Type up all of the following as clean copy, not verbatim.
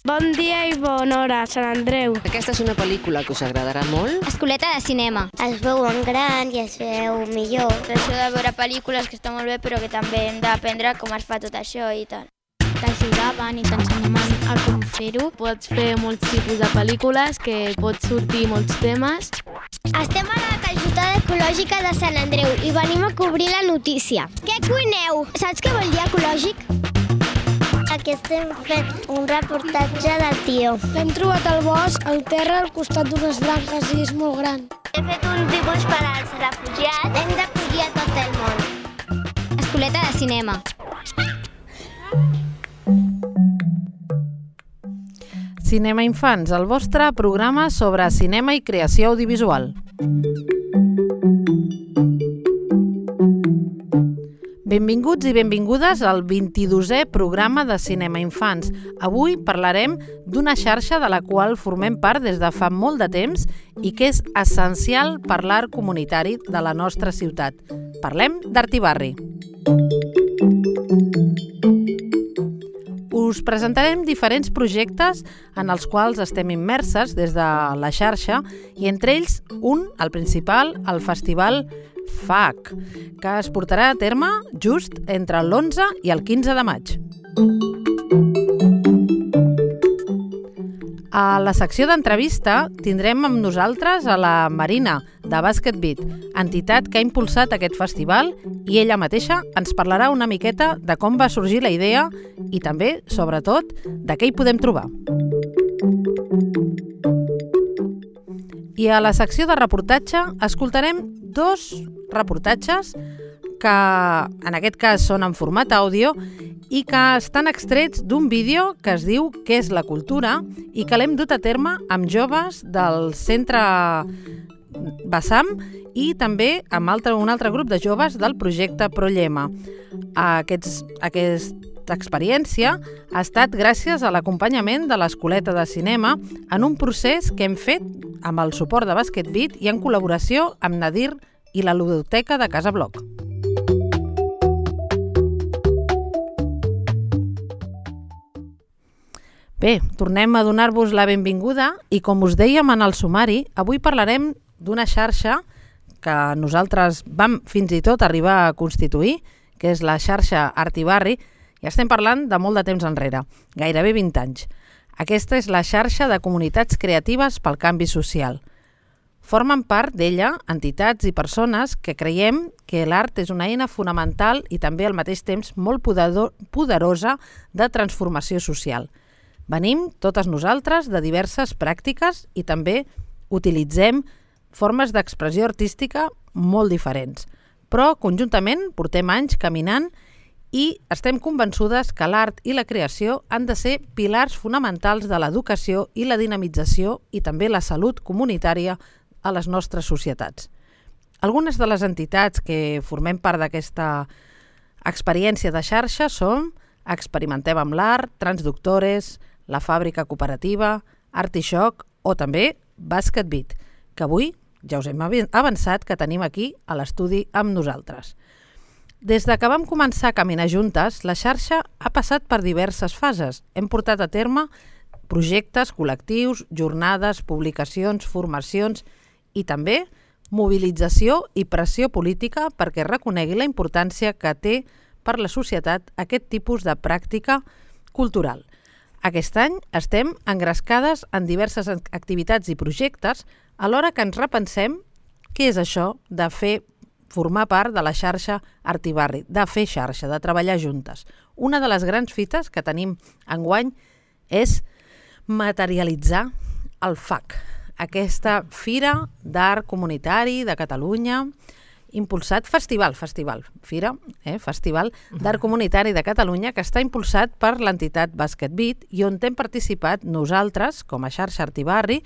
Bon dia i bona hora, Sant Andreu. Aquesta és una pel·lícula que us agradarà molt. Escoleta de cinema. Es veu en gran i es veu millor. Això de veure pel·lícules que està molt bé, però que també hem d'aprendre com es fa tot això i tal. T'ajudaven i t'ensenyaven a com fer-ho. Pots fer molts tipus de pel·lícules, que pots sortir molts temes. Estem a la calçotada ecològica de Sant Andreu i venim a cobrir la notícia. Què cuineu? Saps què vol dir ecològic? Aquí estem fent un reportatge de tio. L'hem trobat al bosc, al terra, al costat d'unes branques i és molt gran. He fet un dibuix per als refugiats. Hem d'acollir a tot el món. Escoleta de cinema. Cinema Infants, el vostre programa sobre cinema i creació audiovisual. Benvinguts i benvingudes al 22è programa de Cinema Infants. Avui parlarem d'una xarxa de la qual formem part des de fa molt de temps i que és essencial per l'art comunitari de la nostra ciutat. Parlem d'Artibarri. Us presentarem diferents projectes en els quals estem immerses des de la xarxa i entre ells un, el principal, el Festival FAC, que es portarà a terme just entre l'11 i el 15 de maig. A la secció d'entrevista tindrem amb nosaltres a la Marina, de Basket Beat, entitat que ha impulsat aquest festival, i ella mateixa ens parlarà una miqueta de com va sorgir la idea i també, sobretot, de què hi podem trobar. I a la secció de reportatge escoltarem 2 reportatges que en aquest cas són en format àudio i que estan extrets d'un vídeo que es diu Què és la cultura i que l'hem dut a terme amb joves del centre Bassam i també amb un altre grup de joves del projecte Prollema. Aquesta experiència ha estat gràcies a l'acompanyament de l'Escoleta de Cinema en un procés que hem fet amb el suport de Basket Beat i en col·laboració amb Nadir i la Ludoteca de Casa Bloc. Bé, tornem a donar-vos la benvinguda i com us dèiem en el sumari, avui parlarem d'una xarxa que nosaltres vam fins i tot arribar a constituir, que és la xarxa Artibarri, i estem parlant de molt de temps enrere, gairebé 20 anys. Aquesta és la xarxa de comunitats creatives pel canvi social. Formen part d'ella entitats i persones que creiem que l'art és una eina fonamental i també al mateix temps molt poderosa de transformació social. Venim totes nosaltres de diverses pràctiques i també utilitzem formes d'expressió artística molt diferents. Però conjuntament portem anys caminant i estem convençudes que l'art i la creació han de ser pilars fonamentals de l'educació i la dinamització i també la salut comunitària a les nostres societats. Algunes de les entitats que formem part d'aquesta experiència de xarxa són Experimentem amb l'art, Transductores, La Fàbrica Cooperativa, Artishock o també Basket Beat, que avui ja us hem avançat que tenim aquí a l'estudi amb nosaltres. Des de que vam començar a caminar juntes, la xarxa ha passat per diverses fases. Hem portat a terme projectes col·lectius, jornades, publicacions, formacions i també mobilització i pressió política perquè reconegui la importància que té per la societat aquest tipus de pràctica cultural. Aquest any estem engrescades en diverses activitats i projectes alhora que ens repensem què és això de formar part de la xarxa Artibarri, de fer xarxa, de treballar juntes. Una de les grans fites que tenim enguany és materialitzar el FAC, aquesta Fira d'Art Comunitari de Catalunya, impulsat Festival d'Art Comunitari de Catalunya, que està impulsat per l'entitat Basket Beat i on hem participat nosaltres, com a xarxa Artibarri,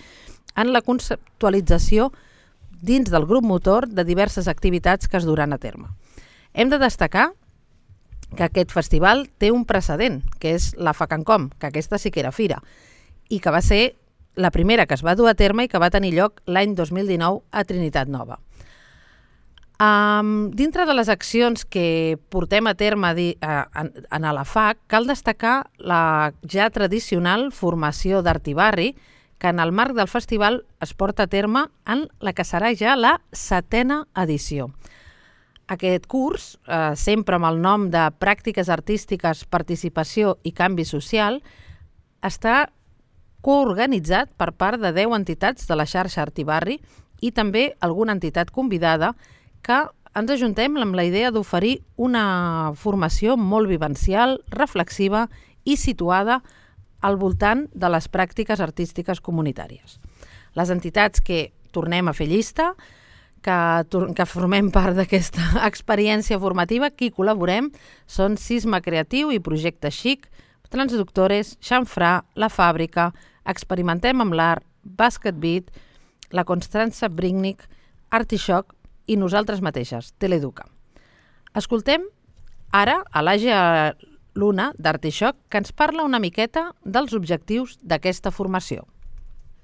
en la conceptualització dins del grup motor de diverses activitats que es duran a terme. Hem de destacar que aquest festival té un precedent, que és la FACANCOM, que aquesta sí que era fira, i que va ser la primera que es va dur a terme i que va tenir lloc l'any 2019 a Trinitat Nova. Dintre de les accions que portem a terme en la FAC, cal destacar la ja tradicional formació d'Artibarri, que en el marc del festival es porta a terme en la que serà ja la 7a edició. Aquest curs, sempre amb el nom de Pràctiques Artístiques, Participació i Canvi Social, està coorganitzat per part de 10 entitats de la xarxa Artibarri i també alguna entitat convidada que ens ajuntem amb la idea d'oferir una formació molt vivencial, reflexiva i situada al voltant de les pràctiques artístiques comunitàries. Les entitats que tornem a fer llista, que formem part d'aquesta experiència formativa, qui col·laborem són Cisma Creatiu i Projecte Xic, Transductores, Xamfrà, La Fàbrica, Experimentem amb l'Art, Basket Beat, la Constança Bringnic, Artishock i nosaltres mateixes, Teleeduca. Escoltem ara a l'Àgia Luna d'Artishock, que ens parla una miqueta dels objectius d'aquesta formació.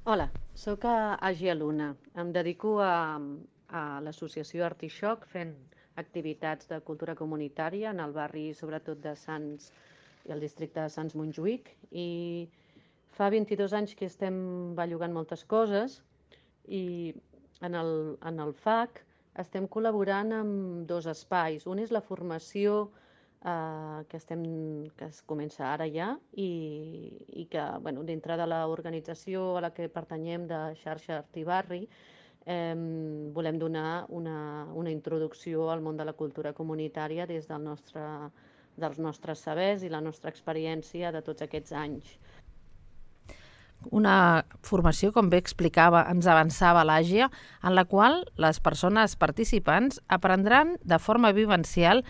Hola, sóc Àgia Luna. Em dedico a l'associació Artishock fent activitats de cultura comunitària en el barri, sobretot de Sants i el districte de Sants Montjuïc, i fa 22 anys que estem bellugant moltes coses i en el FAC estem col·laborant amb 2 espais. Un és la formació que es comença ara ja i que dintre de l'organització a la que pertanyem de xarxa Artibarri volem donar una introducció al món de la cultura comunitària des dels nostres sabers i la nostra experiència de tots aquests anys. Una formació, com bé explicava, ens avançava l'Àgia, en la qual les persones participants aprendran de forma vivencial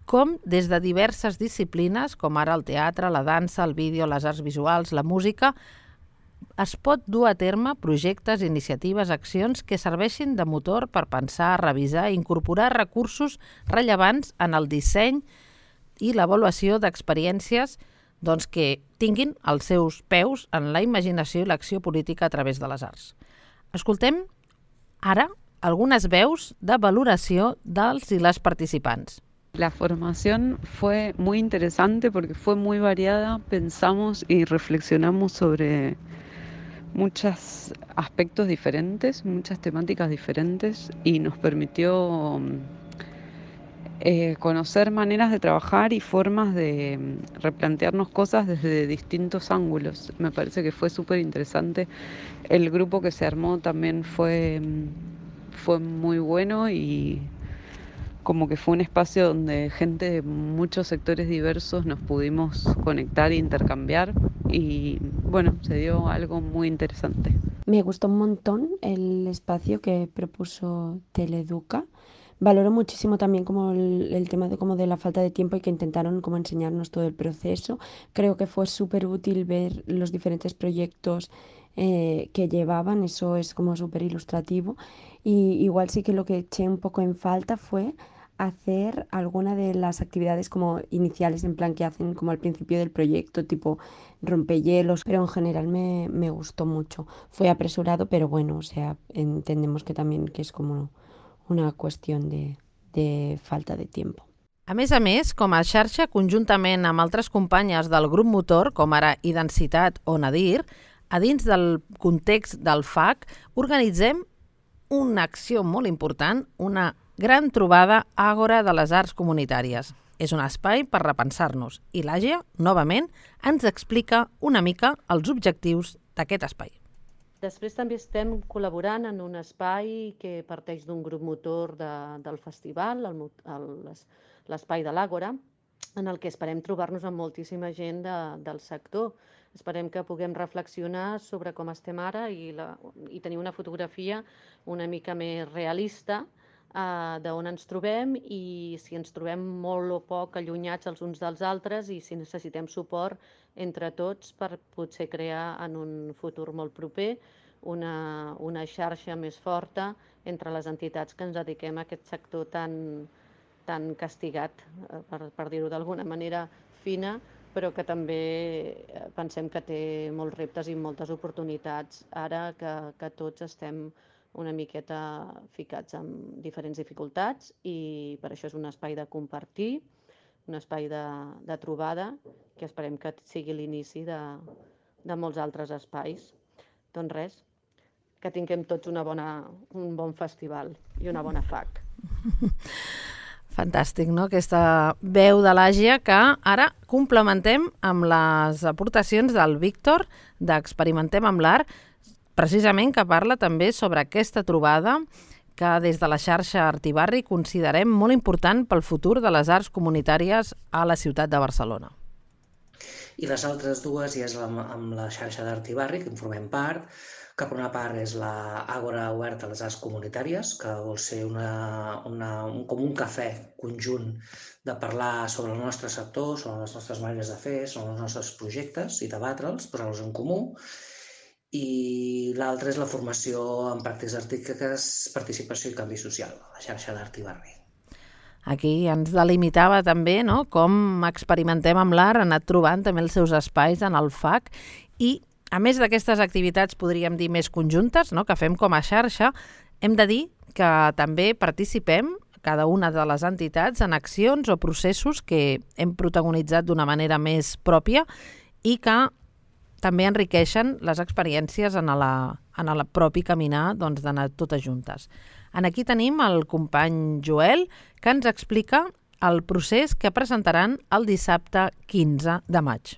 com des de diverses disciplines, com ara el teatre, la dansa, el vídeo, les arts visuals, la música, es pot dur a terme projectes, iniciatives, accions que serveixin de motor per pensar, revisar i incorporar recursos rellevants en el disseny i l'avaluació d'experiències que tinguin els seus peus en la imaginació i l'acció política a través de les arts. Escoltem ara algunes veus de valoració dels i les participants. La formación fue muy interesante porque fue muy variada, pensamos y reflexionamos sobre muchos aspectos diferentes, muchas temáticas diferentes y nos permitió conocer maneras de trabajar y formas de replantearnos cosas desde distintos ángulos. Me parece que fue súper interesante. El grupo que se armó también fue muy bueno y como que fue un espacio donde gente de muchos sectores diversos nos pudimos conectar e intercambiar y se dio algo muy interesante. Me gustó un montón el espacio que propuso Teleeduca. Valoro muchísimo también como el tema de la falta de tiempo y que intentaron como enseñarnos todo el proceso. Creo que fue súper útil ver los diferentes proyectos que llevaban, eso es como súper ilustrativo. Y igual sí que lo que eché un poco en falta fue hacer alguna de las actividades como iniciales, en plan que hacen como al principio del proyecto, tipo rompehielos, pero en general me gustó mucho. Fue apresurado, pero entendemos que también que es como una qüestió de falta de temps. A més, com a xarxa, conjuntament amb altres companyes del grup motor, com ara Identitat o Nadir, a dins del context del FAC, organitzem una acció molt important, una gran trobada Àgora de les Arts Comunitàries. És un espai per repensar-nos i l'Àgia, novament, ens explica una mica els objectius d'aquest espai. Després també estem col·laborant en un espai que parteix d'un grup motor del festival, l'espai de l'Àgora, en el que esperem trobar-nos amb moltíssima gent del sector. Esperem que puguem reflexionar sobre com estem ara i tenir una fotografia una mica més realista d'on ens trobem i si ens trobem molt o poc allunyats els uns dels altres i si necessitem suport entre tots per potser crear en un futur molt proper una xarxa més forta entre les entitats que ens dediquem a aquest sector tan castigat, per dir-ho d'alguna manera fina, però que també pensem que té molts reptes i moltes oportunitats ara que tots estem una miqueta ficats en diferents dificultats i per això és un espai de compartir, un espai de trobada que esperem que sigui l'inici de molts altres espais. Doncs res, que tinguem tots un bon festival i una bona FAC. Fantàstic, no? Aquesta veu de l'Àgia que ara complementem amb les aportacions del Víctor d'Experimentem amb l'Art, precisament que parla també sobre aquesta trobada que des de la xarxa Artibarri considerem molt important pel futur de les arts comunitàries a la ciutat de Barcelona. I les altres dues ja és amb la xarxa d'Artibarri, que en formem part, que per una part és l'Àgora Oberta a les Arts Comunitàries, que vol ser com un cafè conjunt de parlar sobre el nostre sector, sobre les nostres maneres de fer, sobre els nostres projectes i debatre'ls, posar-los en comú. I l'altra és la formació en pràctiques artístiques, participació i canvi social, la xarxa d'Artibarri. Aquí ens delimitava també, no?, com Experimentem amb l'Art ha anat trobant també els seus espais en el FAC i, a més d'aquestes activitats, podríem dir, més conjuntes, no?, que fem com a xarxa, hem de dir que també participem, cada una de les entitats, en accions o processos que hem protagonitzat d'una manera més pròpia i que també enriqueixen les experiències en el propi caminar d'anar totes juntes. Aquí tenim el company Joel, que ens explica el procés que presentaran el dissabte 15 de maig.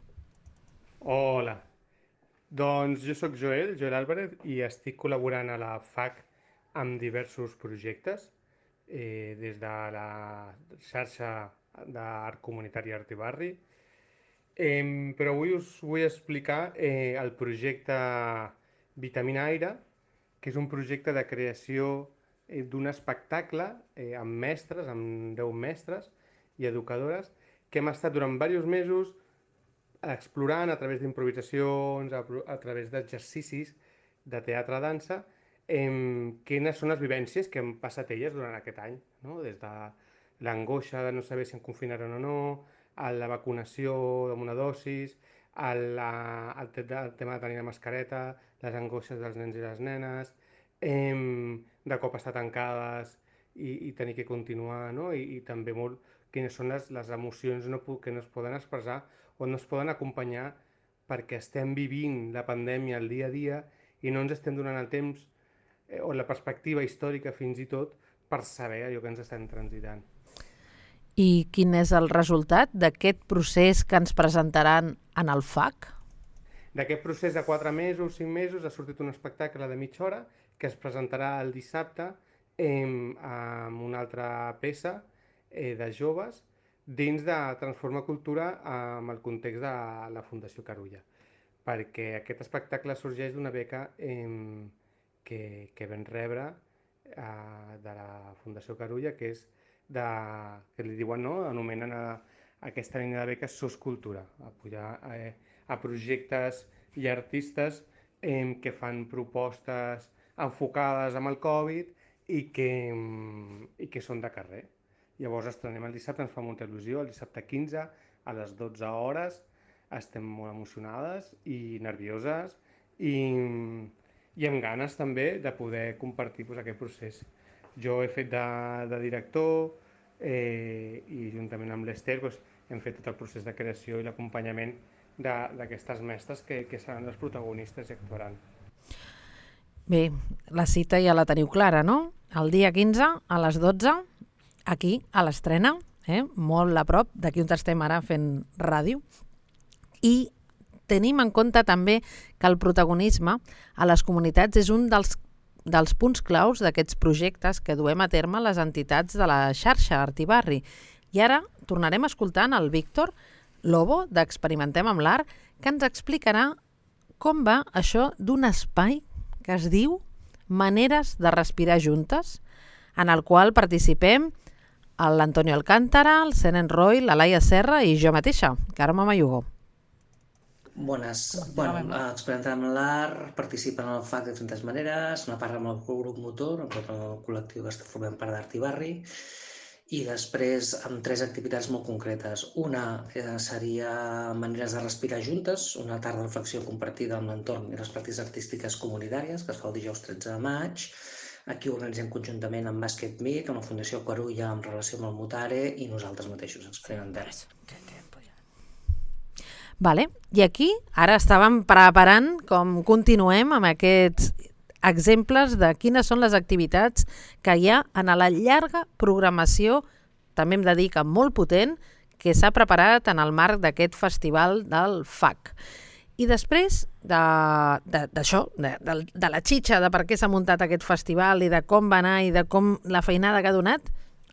Hola, doncs jo sóc Joel Álvarez, i estic col·laborant a la FAC amb diversos projectes, des de la xarxa d'art comunitari Artibarri, però avui us vull explicar el projecte Vitamina Aire, que és un projecte de creació d'un espectacle amb mestres, amb 10 mestres i educadores, que hem estat durant diversos mesos explorant a través d'improvisacions, a través d'exercicis de teatre-dansa, quines són les vivències que han passat elles durant aquest any, no? Des de l'angoixa de no saber si em confinaran o no, a la vacunació amb una dosis, el tema de tenir la mascareta, les angoixes dels nens i les nenes, de cop estar tancades i tenir que continuar, no? I també molt quines són les emocions que no es poden expressar o no es poden acompanyar perquè estem vivint la pandèmia el dia a dia i no ens estem donant el temps o la perspectiva històrica fins i tot per saber allò que ens estem transitant. I quin és el resultat d'aquest procés que ens presentaran en el FAC? D'aquest procés de 4 mesos, 5 mesos, ha sortit un espectacle de mitja hora que es presentarà el dissabte amb una altra peça de joves dins de Transforma Cultura amb el context de la Fundació Carulla, perquè aquest espectacle sorgeix d'una beca que vam rebre de la Fundació Carulla, que és que li diuen, no?, anomenen aquesta línia de beques SOS Cultura, apoyar a projectes i artistes que fan propostes enfocades amb el Covid i que són de carrer. Llavors estrenem el dissabte, ens fa molta il·lusió, el dissabte 15 a les 12 hores, estem molt emocionades i nervioses i amb ganes també de poder compartir aquest procés. Jo he fet de director i juntament amb l'Ester hem fet tot el procés de creació i l'acompanyament d'aquestes mestres que seran les protagonistes i actuaran. Bé, la cita ja la teniu clara, no? El dia 15 a les 12, aquí, a l'estrena, molt a prop, d'aquí on estem ara fent ràdio. I tenim en compte també que el protagonisme a les comunitats és un dels punts claus d'aquests projectes que duem a terme les entitats de la xarxa Artibarri. I ara tornarem escoltant el Víctor Lobo d'Experimentem amb l'Art, que ens explicarà com va això d'un espai que es diu Maneres de respirar juntes, en el qual participem l'Antonio Alcántara, el Senen Roy, la Laia Serra i jo mateixa, Carme Mayugó. Bones. Experimentem amb l'Art, participen en el FAC de diferents maneres, una part amb el grup motor, amb tot el col·lectiu que formem part d'Artibarri, i després amb 3 activitats molt concretes. Una seria Maneres de respirar juntes, una tarda de reflexió compartida amb l'entorn i les pràctiques artístiques comunitàries, que es fa el dijous 13 de maig. Aquí organitzem conjuntament amb Basket Meet, amb la Fundació Carulla en relació amb el Mutare i nosaltres mateixos experimentem. Vale. I aquí ara estàvem preparant com continuem amb aquests exemples de quines són les activitats que hi ha en la llarga programació, també hem de dir que molt potent, que s'ha preparat en el marc d'aquest festival del FAC. I després d'això, de la xitxa, de per què s'ha muntat aquest festival i de com va anar i de com la feinada que ha donat,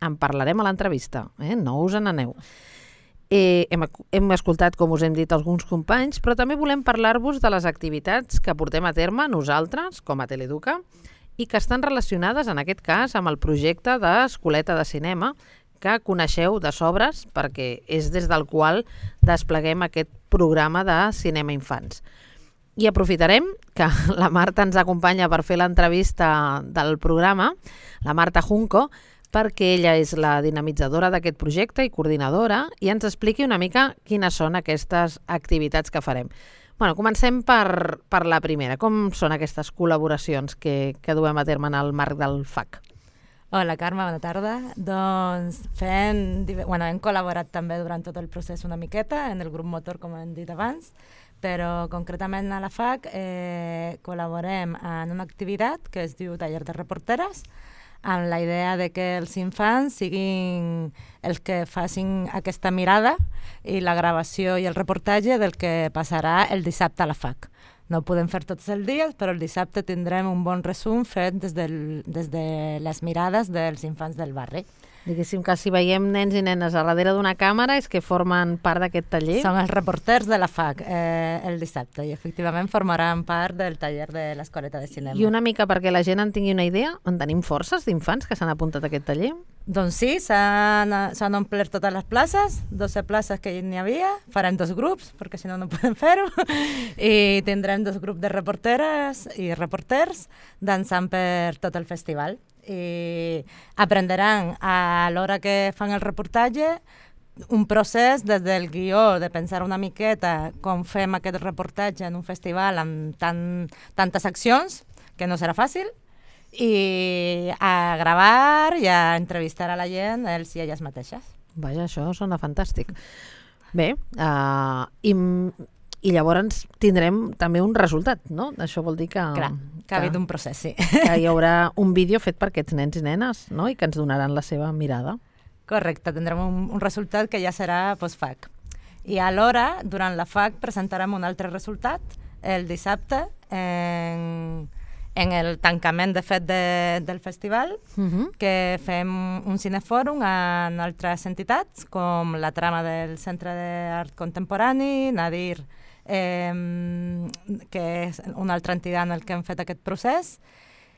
en parlarem a l'entrevista, no us n'aneu. Hem escoltat, com us hem dit, alguns companys, però també volem parlar-vos de les activitats que portem a terme nosaltres, com a Teleduca, i que estan relacionades, en aquest cas, amb el projecte d'Escoleta de Cinema, que coneixeu de sobres, perquè és des del qual despleguem aquest programa de cinema infants. I aprofitarem que la Marta ens acompanya per fer l'entrevista del programa, la Marta Junco, perquè ella és la dinamitzadora d'aquest projecte i coordinadora, i ens expliqui una mica quines són aquestes activitats que farem. Comencem per la primera. Com són aquestes col·laboracions que duem a terme en el marc del FAC? Hola, Carme, bona tarda. Doncs hem col·laborat també durant tot el procés una miqueta en el grup motor, com hem dit abans, però concretament a la FAC col·laborem en una activitat que es diu Taller de Reporteres, amb la idea de que els infants siguin els que facin aquesta mirada i la gravació i el reportatge del que passarà el dissabte a la FAC. No ho podem fer tots els dies, però el dissabte tindrem un bon resum fet des de les mirades dels infants del barri. Diguéssim que si veiem nens i nenes a darrere d'una càmera és que formen part d'aquest taller? Són els reporters de la FAC el dissabte i efectivament formaran part del taller de l'Escoleta de Cinema. I una mica perquè la gent en tingui una idea, en tenim forces d'infants que s'han apuntat a aquest taller? Doncs sí, s'han omplert totes les places, 12 places que n'hi havia, farem 2 grups, perquè si no podem fer-ho, i tindrem 2 grups de reporteres i reporters dansant per tot el festival. I aprendran a l'hora que fan el reportatge un procés des del guió, de pensar una miqueta com fem aquest reportatge en un festival amb tantes accions, que no serà fàcil, i a gravar i a entrevistar a la gent, ells i elles mateixes. Vaja, això sona fantàstic. Bé, i llavors tindrem també un resultat, no? Això vol dir que... Clar, que ha hagut un procés, sí. Que hi haurà un vídeo fet per aquests nens i nenes, no? I que ens donaran la seva mirada. Correcte, tindrem un resultat que ja serà post-FAC. I alhora, durant la FAC, presentarem un altre resultat el dissabte en el tancament, de fet, del festival, que fem un cinefòrum amb altres entitats, com la trama del Centre d'Art Contemporani, Nadir, que és una altra entitat en el que hem fet aquest procés.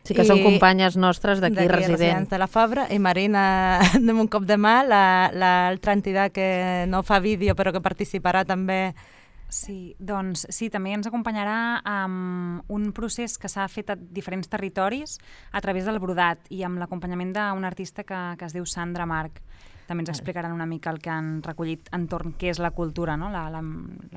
Sí, que són companyes nostres d'aquí residents de la Fabra, i Marina, d'un cop de mà, l'altra entitat que no fa vídeo però que participarà també. Sí, doncs sí, també ens acompanyarà amb un procés que s'ha fet a diferents territoris a través del brodat i amb l'acompanyament d'un artista que es diu Sandra Marc. També ens explicaran una mica el que han recollit entorn què és la cultura, no? La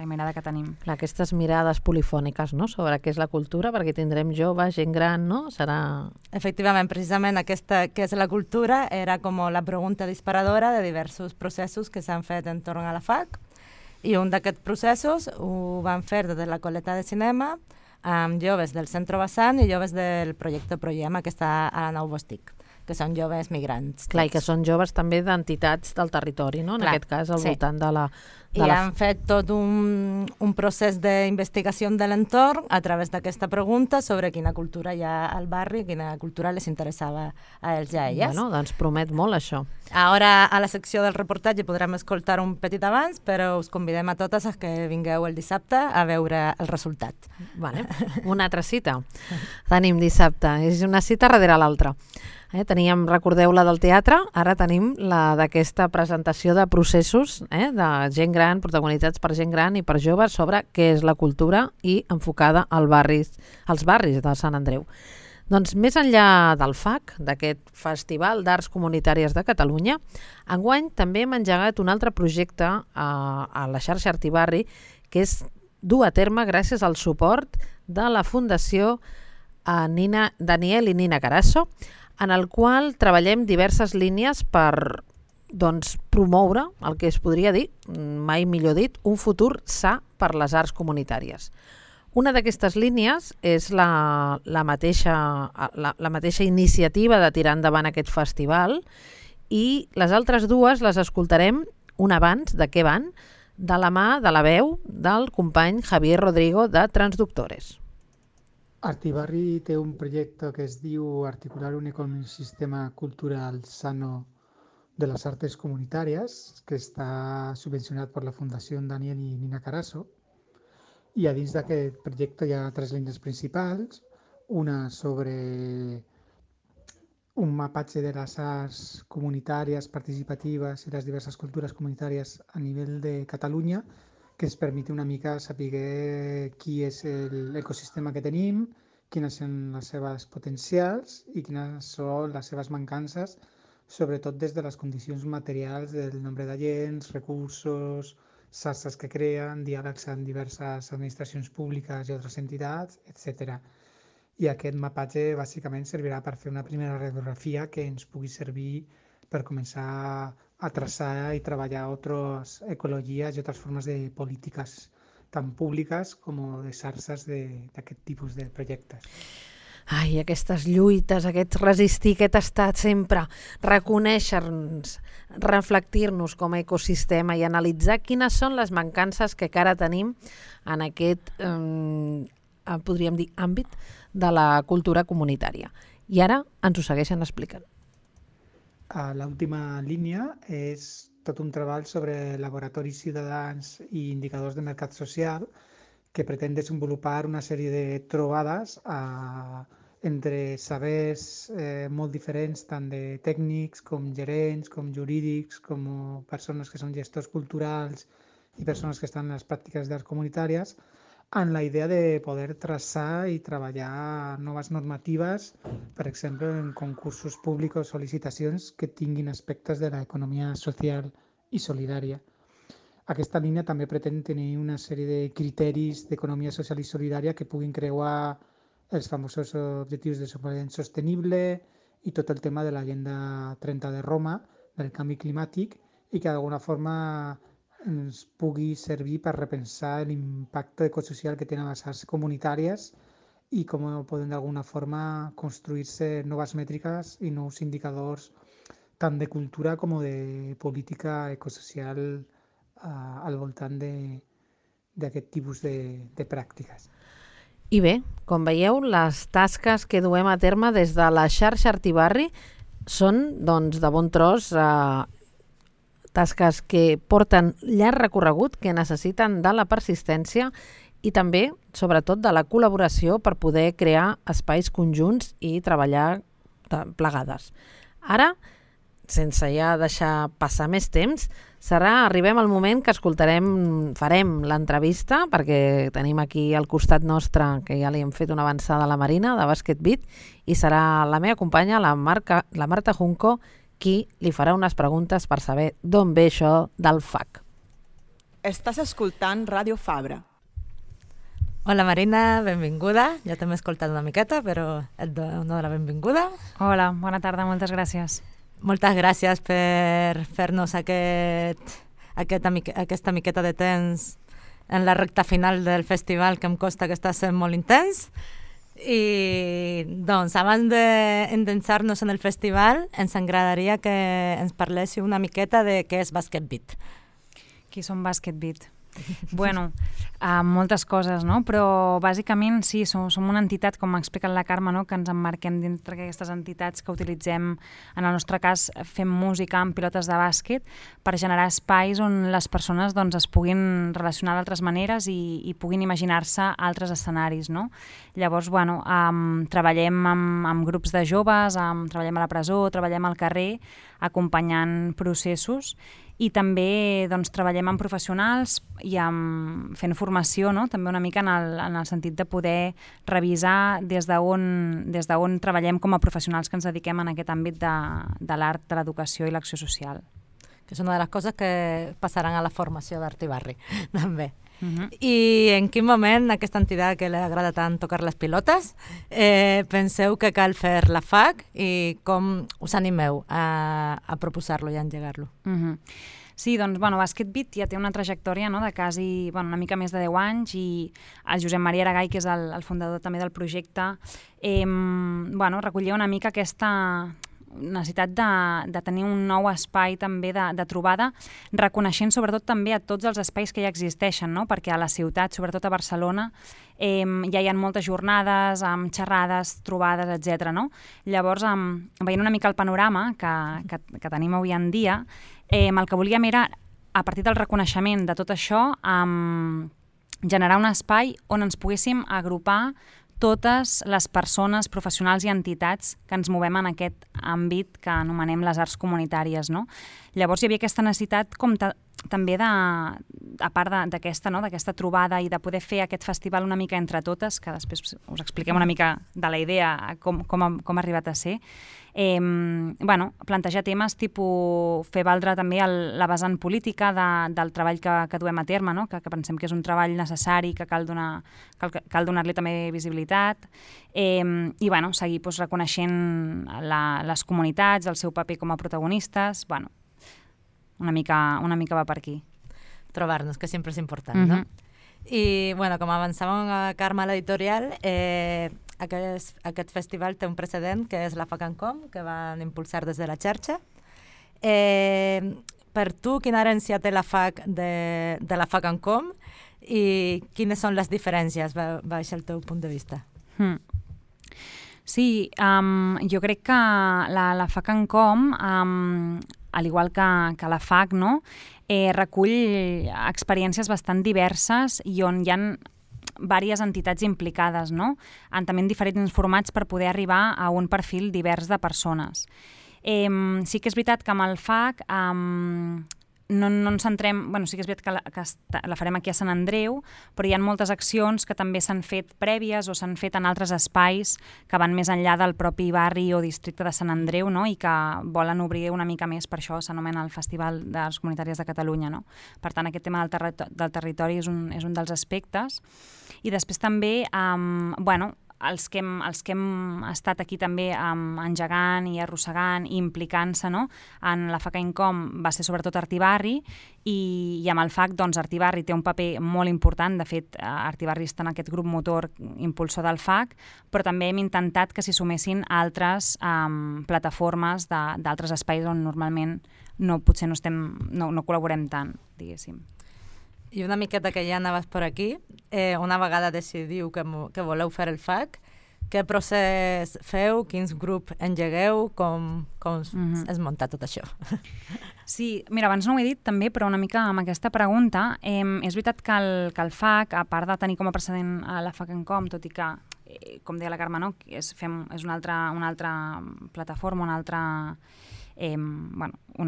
mirada que tenim. Clar, aquestes mirades polifòniques, no?, sobre què és la cultura, perquè tindrem joves, gent gran, no? Serà... Efectivament, precisament aquesta què és la cultura era com la pregunta disparadora de diversos processos que s'han fet entorn a la FAC, i un d'aquests processos ho van fer des de la Coleta de Cinema amb joves del Centre Vessant i joves del projecte Proyema, que està a la Nou Bostic, que són joves migrants. Clar, i que són joves també d'entitats del territori, no? En aquest cas, al voltant de la... I han fet tot un procés d'investigació de l'entorn a través d'aquesta pregunta sobre quina cultura hi ha al barri, quina cultura les interessava a ells i a elles. Bueno, doncs promet molt això. Ara, a la secció del reportatge podrem escoltar un petit abans, però us convidem a totes a que vingueu el dissabte a veure el resultat. Vale. Una altra cita. Tenim dissabte. És una cita darrere l'altra. Teníem, recordeu, la del teatre, ara tenim la d'aquesta presentació de processos de gent gran, protagonitzats per gent gran i per joves sobre què és la cultura i enfocada als barris de Sant Andreu. Doncs més enllà del FAC, d'aquest Festival d'Arts Comunitàries de Catalunya, enguany també hem engegat un altre projecte a la xarxa Artibarri, que és dur a terme gràcies al suport de la Fundació Daniel i Nina Carasso, en el qual treballem diverses línies per promoure el que es podria dir, mai millor dit, un futur sa per les arts comunitàries. Una d'aquestes línies és la mateixa iniciativa de tirar endavant aquest festival, i les altres dues les escoltarem un abans de què van, de la mà de la veu del company Javier Rodrigo de Transductores. Artibarri té un projecte que es diu Articular un ecosistema cultural sano de las artes comunitàries, que està subvencionat per la Fundació Daniel i Nina Carasso, i a dins d'aquest projecte hi ha 3 línies principals, una sobre un mapatge de les arts comunitàries, participatives i les diverses cultures comunitàries a nivell de Catalunya, que ens permet una mica saber qui és l'ecosistema que tenim, quines són les seves potencials i quines són les seves mancances, sobretot des de les condicions materials del nombre d'agents, recursos, xarxes que creen, diàlegs amb diverses administracions públiques i altres entitats, etc. I aquest mapatge bàsicament servirà per fer una primera radiografia que ens pugui servir per començar a traçar i treballar altres ecologies i altres formes de polítiques, tant públiques com de xarxes d'aquest tipus de projectes. Ai, aquestes lluites, aquest resistir, aquest estat sempre, reconèixer-nos, reflectir-nos com a ecosistema i analitzar quines són les mancances que encara tenim en aquest, podríem dir, àmbit de la cultura comunitària. I ara ens ho segueixen explicant. L'última línia és tot un treball sobre laboratoris ciutadans i indicadors de mercat social que pretén desenvolupar una sèrie de trobades entre sabers molt diferents, tant de tècnics com gerents, com jurídics, com persones que són gestors culturals i persones que estan en les pràctiques d'arts comunitàries, amb la idea de poder traçar i treballar noves normatives, per exemple, en concursos públics o licitacions que tinguin aspectes de l'economia social i solidària. Aquesta línia també pretén tenir una sèrie de criteris d'economia social i solidària que puguin creuar els famosos objectius de desenvolupament sostenible i tot el tema de l'Agenda 30 de Roma, del canvi climàtic, i que d'alguna forma ens pugui servir per repensar l'impacte ecosocial que tenen les arts comunitàries i com poden d'alguna forma construir-se noves mètriques i nous indicadors tant de cultura com de política ecosocial al voltant d'aquest tipus de pràctiques. I bé, com veieu, les tasques que duem a terme des de la xarxa Artibarri són, doncs, de bon tros, tasques que porten llarg recorregut, que necessiten de la persistència i també, sobretot, de la col·laboració per poder crear espais conjunts i treballar plegades. Ara, sense ja deixar passar més temps, arribem al moment que farem l'entrevista, perquè tenim aquí al costat nostre, que ja li hem fet una avançada a la Marina, de Basket Beat, i serà la meva companya, la Marta Junco, qui li farà unes preguntes per saber d'on ve això del FAC. Estàs escoltant Ràdio Fabra. Hola Marina, benvinguda. Jo també he escoltat una miqueta, però et dono la benvinguda. Hola, bona tarda, moltes gràcies. Moltes gràcies per fer-nos aquesta miqueta de temps en la recta final del festival, que em consta que està sent molt intens. I doncs, abans d'endensar-nos en el festival, ens agradaria que ens parléssiu una miqueta de què és Basket Beat. Qui són Basket Beat? Bueno, moltes coses, no? Però bàsicament sí, som una entitat, com m'ha explicat la Carme, no? Que ens emmarquem dintre d'aquestes entitats que utilitzem, en el nostre cas fem música amb pilotes de bàsquet per generar espais on les persones doncs, es puguin relacionar d'altres maneres i puguin imaginar-se altres escenaris, no? Llavors, bueno, treballem amb grups de joves, treballem a la presó, treballem al carrer, acompanyant processos, i també doncs, treballem amb professionals i fent formació, no? També una mica en el sentit de poder revisar des d'on treballem com a professionals que ens dediquem en aquest àmbit de l'art, de l'educació i l'acció social. Que és una de les coses que passaran a la formació d'Artibarri, també. I en quin moment aquesta entitat que li agrada tant tocar les pilotes penseu que cal fer la FAC i com us animeu a proposar-lo i a engegar-lo? Sí, doncs, Basket Beat ja té una trajectòria de quasi, una mica més de 10 anys i el Josep Maria Aragall, que és el fundador també del projecte, recollia una mica aquesta necessitat de tenir un nou espai també de trobada, reconeixent sobretot també a tots els espais que ja existeixen, perquè a la ciutat, sobretot a Barcelona, ja hi ha moltes jornades amb xerrades, trobades, etc. Llavors, veient una mica el panorama que tenim avui en dia, el que volíem era, a partir del reconeixement de tot això, generar un espai on ens poguéssim agrupar totes les persones, professionals i entitats que ens movem en aquest àmbit que anomenem les arts comunitàries. Llavors hi havia aquesta necessitat com també a part d'aquesta trobada i de poder fer aquest festival una mica entre totes, que després us expliquem una mica de la idea, com ha arribat a ser, plantejar temes tipus fer valdre també la vessant política del treball que duem a terme, que pensem que és un treball necessari, que cal donar-li també visibilitat i seguir reconeixent les comunitats, el seu paper com a protagonistes, una mica va per aquí. Trobar-nos, que sempre és important, no? I, com avançàvem a Carme a l'editorial, aquest festival té un precedent, que és la FAC&COM, que van impulsar des de la xarxa. Per tu, quina herència té la FAC de la FAC&COM i quines són les diferències, baix el teu punt de vista? Sí, jo crec que la FAC&COM, al igual que la FAC, recull experiències bastant diverses i on hi ha diverses entitats implicades, també en diferents formats per poder arribar a un perfil divers de persones. Sí que és veritat que amb el FAC no ens centrem... sí que és veritat que la farem aquí a Sant Andreu, però hi ha moltes accions que també s'han fet prèvies o s'han fet en altres espais que van més enllà del propi barri o districte de Sant Andreu i que volen obrir una mica més, per això s'anomena el Festival d'Arts Comunitàries de Catalunya. Per tant, aquest tema del territori és un dels aspectes. I després també, els que hem estat aquí també engegant i arrossegant i implicant-se en la FAC&COM va ser sobretot Artibarri i amb el FAC Artibarri té un paper molt important. De fet, Artibarri està en aquest grup motor impulsor del FAC, però també hem intentat que s'hi sumessin altres plataformes d'altres espais on normalment potser no col·laborem tant, diguéssim. I una miqueta que ja anaves per aquí, una vegada decidiu que voleu fer el FAC, què procés feu, quins grups engegueu, com es munta tot això? Sí, mira, abans no ho he dit també, però una mica amb aquesta pregunta, és veritat que el FAC, a part de tenir com a precedent a la FAC&COM, tot i que, com deia la Carme, és una altra plataforma, una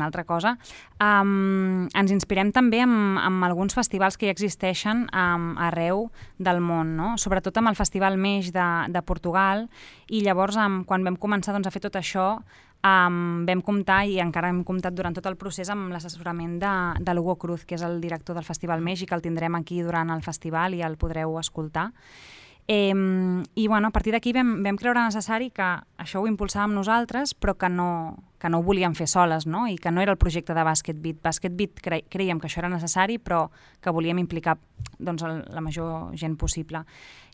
altra cosa. Ens inspirem també amb alguns festivals que ja existeixen arreu del món, sobretot amb el Festival Meix de Portugal, i llavors quan vam començar a fer tot això vam comptar, i encara hem comptat durant tot el procés, amb l'assessorament de l'Hugo Cruz, que és el director del Festival Meix i que el tindrem aquí durant el festival i el podreu escoltar. I a partir d'aquí vam creure necessari que això ho impulsàvem nosaltres, però que no ho volíem fer soles, i que no era el projecte de Basket Beat. Basket Beat creiem que això era necessari, però que volíem implicar la major gent possible.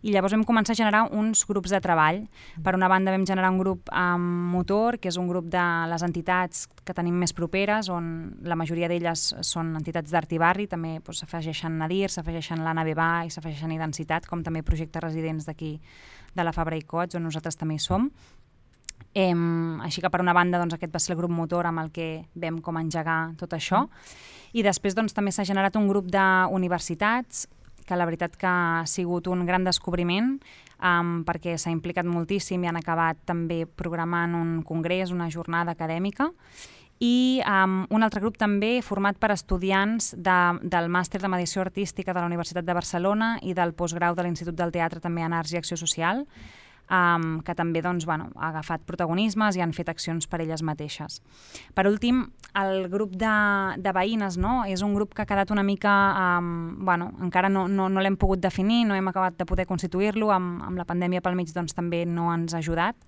I llavors vam començar a generar uns grups de treball. Per una banda vam generar un grup motor, que és un grup de les entitats que tenim més properes, on la majoria d'elles són entitats d'Artibarri, també s'afegeixen Nadir, s'afegeixen l'Anna Bebà i s'afegeixen Identitat, com també projectes residents d'aquí de la Fabra i Coats, on nosaltres també hi som. Així que per una banda aquest va ser el grup motor amb el que vam com engegar tot això, i després també s'ha generat un grup d'universitats que la veritat que ha sigut un gran descobriment perquè s'ha implicat moltíssim i han acabat també programant un congrés, una jornada acadèmica, i un altre grup també format per estudiants del màster de mediació artística de la Universitat de Barcelona i del postgrau de l'Institut del Teatre també en Arts i Acció Social, que també doncs, ha agafat protagonismes i han fet accions per elles mateixes. Per últim, el grup de veïnes, no? És un grup que ha quedat una mica... encara no l'hem pogut definir, no hem acabat de poder constituir-lo, amb la pandèmia pel mig doncs, també no ens ha ajudat,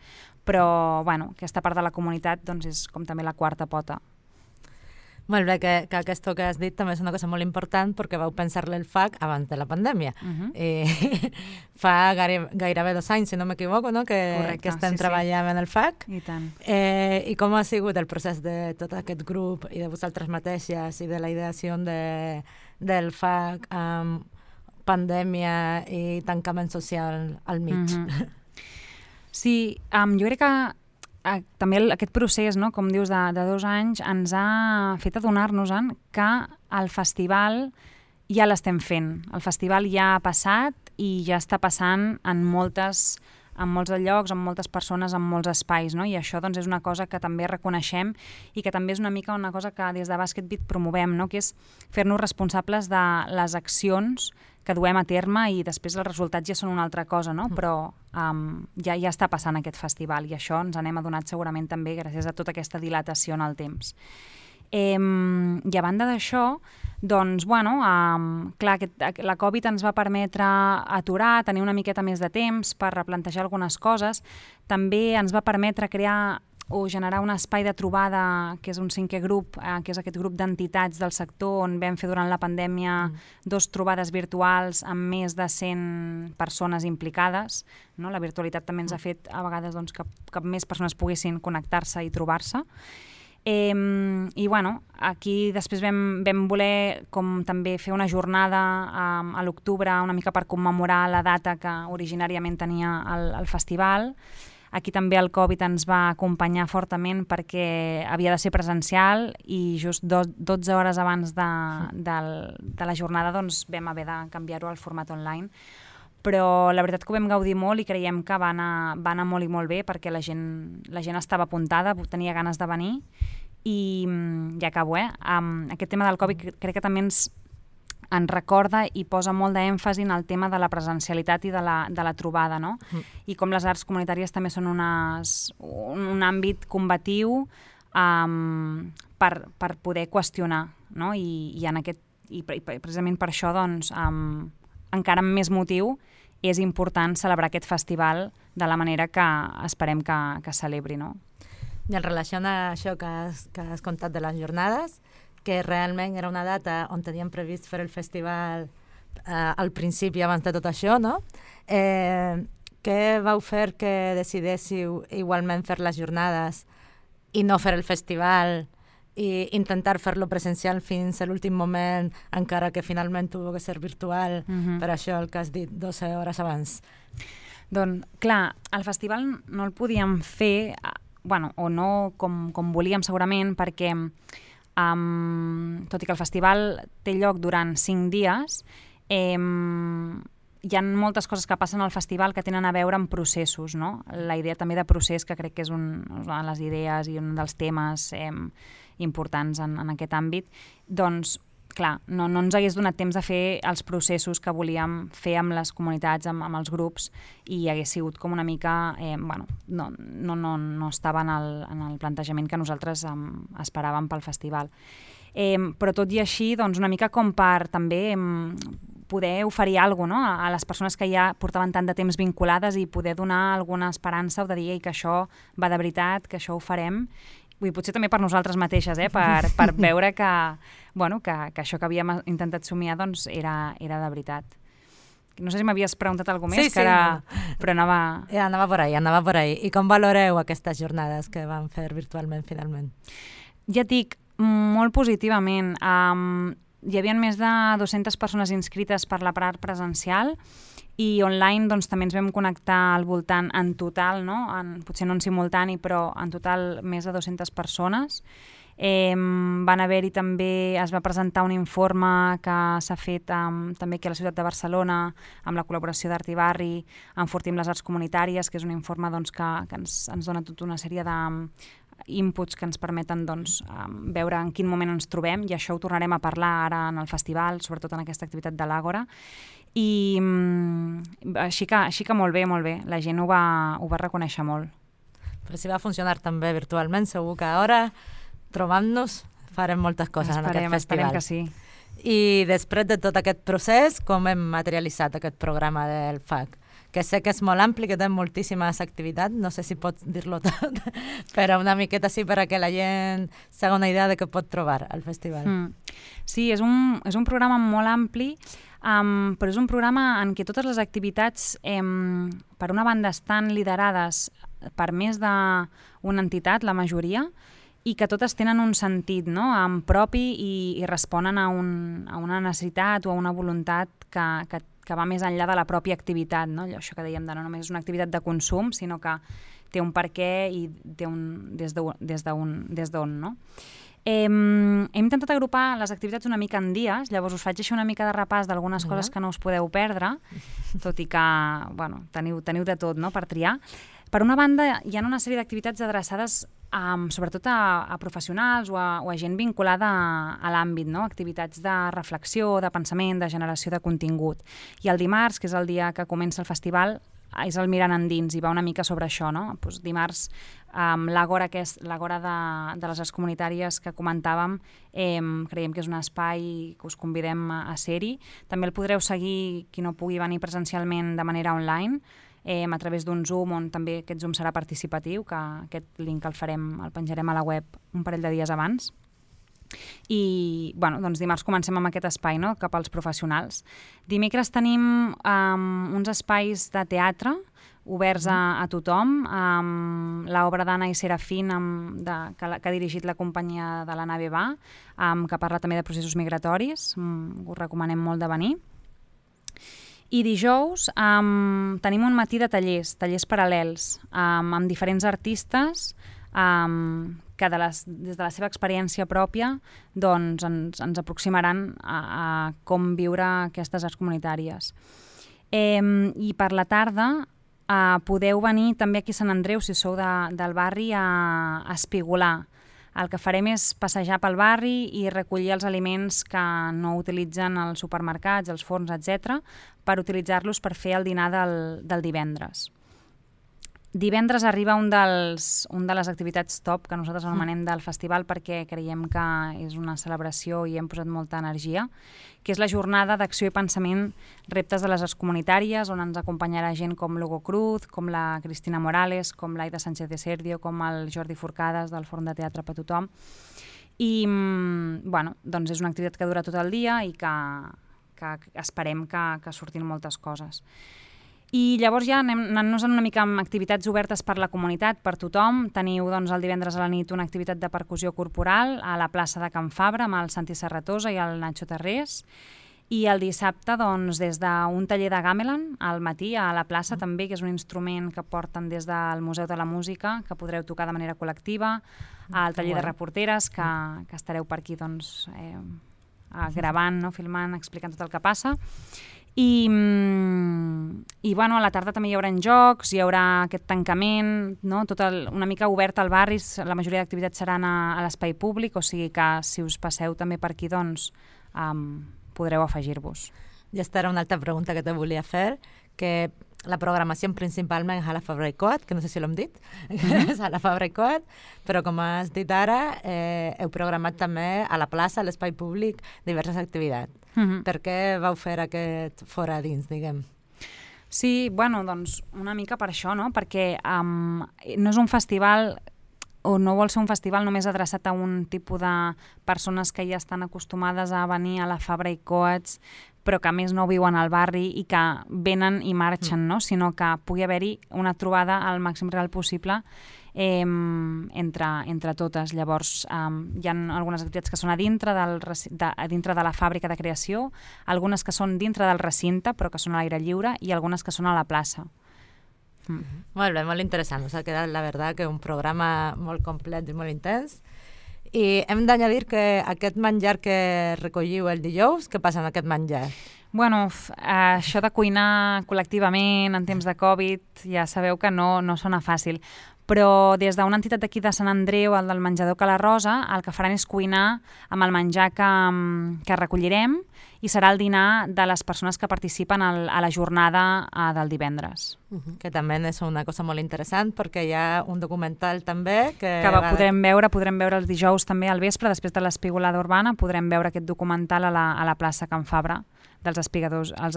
però aquesta part de la comunitat doncs, és com també la quarta pota. Molt bé, que aquesta que has dit també és una cosa molt important perquè vau pensar-le el FAC abans de la pandèmia. Fa gairebé 2 anys, si no m'equivoco, no? que estem treballant en el FAC. I tant. I com ha sigut el procés de tot aquest grup i de vosaltres mateixes i de la ideació del FAC amb pandèmia i tancament social al mig? Sí, jo crec que també aquest procés, no, com dius, de 2 anys ens ha fet adonar-nos que el festival ja l'estem fent. El festival ja ha passat i ja està passant en molts llocs, en moltes persones, en molts espais, no? I això doncs, és una cosa que també reconeixem i que també és una mica una cosa que des de Basket Beat promovem, no? Que és fer-nos responsables de les accions que duem a terme i després els resultats ja són una altra cosa, no? Però ja està passant aquest festival i això ens n'hem adonat segurament també gràcies a tota aquesta dilatació en el temps. I a banda d'això, doncs, clar, la Covid ens va permetre aturar, tenir una miqueta més de temps per replantejar algunes coses. També ens va permetre crear o generar un espai de trobada, que és un 5è grup, que és aquest grup d'entitats del sector on vam fer durant la pandèmia 2 trobades virtuals amb més de 100 persones implicades. No? La virtualitat també ens ha fet a vegades doncs, que més persones poguessin connectar-se i trobar-se. I aquí després vam voler com també fer una jornada a l'octubre una mica per commemorar la data que originàriament tenia el festival. Aquí també el Covid ens va acompanyar fortament perquè havia de ser presencial i just 12 hores abans de la jornada doncs, vam haver de canviar-ho al format online. Però la veritat que ho vam gaudir molt i creiem que va anar molt i molt bé perquè la gent estava apuntada, tenia ganes de venir i ja acabo, aquest tema del Covid crec que també ens recorda i posa molt d'èmfasi en el tema de la presencialitat i de la trobada, no? I com les arts comunitàries també són un àmbit combatiu per poder qüestionar, no? I precisament per això doncs, encara amb més motiu és important celebrar aquest festival de la manera que esperem que celebri, no? I en relació a això que has contat de les jornades, que realment era una data on teníem previst fer el festival al principi abans de tot això, no? Què vau fer que decidéssiu igualment fer les jornades i no fer el festival i intentar fer-lo presencial fins a l'últim moment, encara que finalment tuvo que ser virtual, per això el que has dit 12 hores abans? Doncs, clar, el festival no el podíem fer, o no com volíem segurament, perquè tot i que el festival té lloc durant 5 dies, hi ha moltes coses que passen al festival que tenen a veure amb processos, no? La idea també de procés, que crec que és una de les idees i un dels temes importants en aquest àmbit, doncs, clar, no ens hagués donat temps de fer els processos que volíem fer amb les comunitats, amb els grups, i hagués sigut com una mica, no estava en el plantejament que nosaltres esperàvem pel festival. Però tot i així, doncs una mica com per també poder oferir alguna cosa, no? A les persones que ja portaven tant de temps vinculades i poder donar alguna esperança o de dir que això va de veritat, que això ho farem. Potser també per nosaltres mateixes, per veure que això que havíem intentat somiar doncs, era de veritat. No sé si m'havies preguntat alguna cosa més, sí, però anava... Anava por ahí. I com valoreu aquestes jornades que van fer virtualment finalment? Ja et dic, molt positivament. Hi havia més de 200 persones inscrites per la part presencial i online doncs, també ens vam connectar al voltant en total, no? Potser no en simultani, però en total més de 200 persones. Van haver-hi també, es va presentar un informe que s'ha fet també aquí a la ciutat de Barcelona amb la col·laboració d'Art i Barri, Enfortim les arts comunitàries, que és un informe doncs, que ens dona tota una sèrie d'inputs que ens permeten doncs, veure en quin moment ens trobem, i això ho tornarem a parlar ara en el festival, sobretot en aquesta activitat de l'Àgora. I així que molt bé, la gent ho va reconèixer molt. Però si va funcionar també virtualment, segur que ara, trobant-nos, farem moltes coses en aquest festival. Esperem que sí. I després de tot aquest procés, com hem materialitzat aquest programa del FAC? Que sé que és molt ampli, que té moltíssimes activitats, no sé si pots dir-lo tot, però una miqueta sí per a que la gent s'haga una idea de què pot trobar al festival. Sí, és un programa molt ampli, però és un programa en què totes les activitats, per una banda, estan liderades per més d'una entitat, la majoria, i que totes tenen un sentit, no?, propi i responen a una necessitat o a una voluntat que va més enllà de la pròpia activitat, no? Això que dèiem de no només és una activitat de consum, sinó que té un per què i té des d'on, no? Hem intentat agrupar les activitats una mica en dies, llavors us faig així una mica de repàs d'algunes coses que no us podeu perdre, tot i que, bueno, teniu de tot, no?, per triar. Per una banda, hi ha una sèrie d'activitats adreçades sobretot a professionals o a gent vinculada a l'àmbit, no? Activitats de reflexió, de pensament, de generació de contingut. I el dimarts, que és el dia que comença el festival, és el Mirant Endins i va una mica sobre això, no? Pues dimarts, l'Àgora de les Arts Comunitàries que comentàvem, creiem que és un espai que us convidem a ser-hi. També el podreu seguir, qui no pugui venir presencialment, de manera online, a través d'un Zoom, on també aquest Zoom serà participatiu, que aquest link el penjarem a la web un parell de dies abans. I doncs dimarts comencem amb aquest espai, no?, cap als professionals. Dimecres tenim uns espais de teatre oberts a tothom, l'obra d'Anna i Serafín que ha dirigit la companyia de la Nave Va, que parla també de processos migratoris, us recomanem molt de venir. I dijous tenim un matí de tallers paral·lels amb diferents artistes que des de la seva experiència pròpia ens aproximaran a com viure aquestes arts comunitàries. I per la tarda podeu venir també aquí a Sant Andreu, si sou del barri, a espigolar. El que farem és passejar pel barri i recollir els aliments que no utilitzen els supermercats, els forns, etc., per utilitzar-los per fer el dinar del divendres. Divendres arriba un de les activitats top que nosaltres anomenem del festival perquè creiem que és una celebració i hem posat molta energia, que és la jornada d'acció i pensament reptes de les arts comunitàries, on ens acompanyarà gent com l'Hugo Cruz, com la Cristina Morales, com l'Aida Sánchez de Serdio, com el Jordi Forcades del Forn de Teatre per Tothom. I doncs és una activitat que dura tot el dia i que esperem que surtin moltes coses. I llavors ja anant-nos una mica amb activitats obertes per la comunitat, per tothom. Teniu el divendres a la nit una activitat de percussió corporal a la plaça de Can Fabra amb el Santi Serratosa i el Nacho Tarrés. I el dissabte, des d'un taller de gamelan al matí a la plaça també, que és un instrument que porten des del Museu de la Música, que podreu tocar de manera col·lectiva, al taller de reporteres, que estareu per aquí gravant, filmant, explicant tot el que passa. I a la tarda també hi haurà jocs, hi haurà aquest tancament, tot una mica obert al barri, la majoria d'activitats seran a l'espai públic, o sigui que si us passeu també per aquí, podreu afegir-vos. I aquesta era una altra pregunta que te volia fer, que la programació principalment és a la Fabra i Coat, que no sé si l'hem dit, és a la Fabra i Coat, però com has dit ara, heu programat també a la plaça, a l'espai públic, diverses activitats. Per què vau fer aquest fora dins, diguem? Sí, una mica per això, no? Perquè no és un festival o no vol ser un festival només adreçat a un tipus de persones que ja estan acostumades a venir a la Fabra i Coats, però que a més no viuen al barri i que venen i marxen, no? Sinó que pugui haver-hi una trobada al màxim real possible entre totes. Llavors, hi ha algunes activitats que són a dintre de la fàbrica de creació, algunes que són dintre del recinte, però que són a l'aire lliure, i algunes que són a la plaça. Molt bé, molt interessant. Us ha quedat, la veritat, que un programa molt complet i molt intens. I hem d'añadir que aquest menjar que recolliu el dijous, què passa amb aquest menjar? Això de cuinar col·lectivament en temps de Covid ja sabeu que no sona fàcil, però des d'una entitat d'aquí de Sant Andreu, el del menjador Cala Rosa, el que faran és cuinar amb el menjar que recollirem i serà el dinar de les persones que participen a la jornada del divendres. Que també és una cosa molt interessant perquè hi ha un documental també que podrem veure els dijous també al vespre, després de l'espigolada urbana, podrem veure aquest documental a la plaça Can Fabra dels